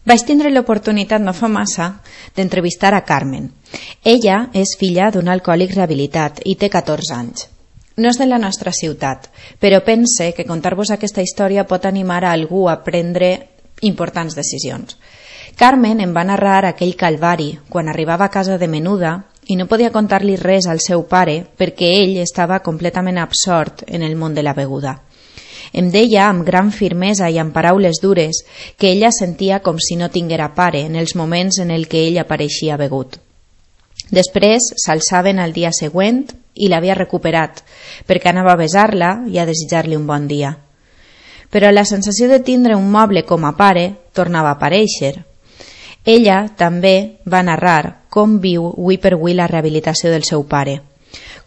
Vaig tindre l'oportunitat no fa massa d'entrevistar a Carmen. Ella és filla d'un alcohòlic rehabilitat i té 14 anys. No és de la nostra ciutat, però pense que contar-vos aquesta història pot animar a algú a prendre importants decisions. Carmen em va narrar aquell calvari quan arribava a casa de menuda i no podia contar-li res al seu pare perquè ell estava completament absort en el món de la beguda. Em deia amb gran firmesa i amb paraules dures que ella sentia com si no tinguera pare en els moments en el que ell apareixia begut. Després s'alçaven al dia següent i l'havia recuperat perquè anava a besar-la i a desitjar-li un bon dia. Però la sensació de tindre un moble com a pare tornava a aparèixer. Ella també va narrar com viu avui per avui la rehabilitació del seu pare,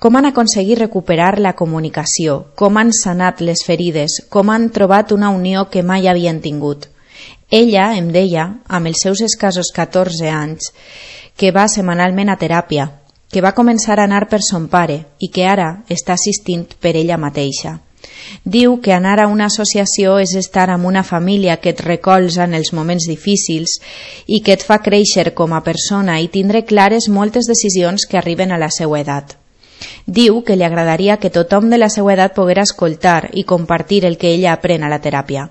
com han aconseguit recuperar la comunicació, com han sanat les ferides, com han trobat una unió que mai havien tingut. Ella em deia, amb els seus escassos 14 anys, que va setmanalment a teràpia, que va començar a anar per son pare i que ara està assistint per ella mateixa. Diu que anar a una associació és estar amb una família que et recolza en els moments difícils i que et fa créixer com a persona i tindre clares moltes decisions que arriben a la seva edat. Diu que li agradaria que tothom de la seva edat poguera escoltar i compartir el que ella aprèn a la teràpia.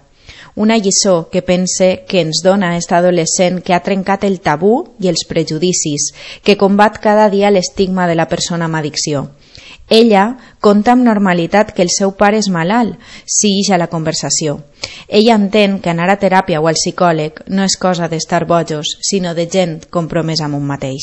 Una lliçó que pense que ens dona esta adolescent que ha trencat el tabú i els prejudicis, que combat cada dia l'estigma de la persona amb addicció. Ella conta amb normalitat que el seu pare és malalt, si ix a la conversació. Ella entén que anar a teràpia o al psicòleg no és cosa d'estar bojos, sinó de gent compromesa amb un mateix.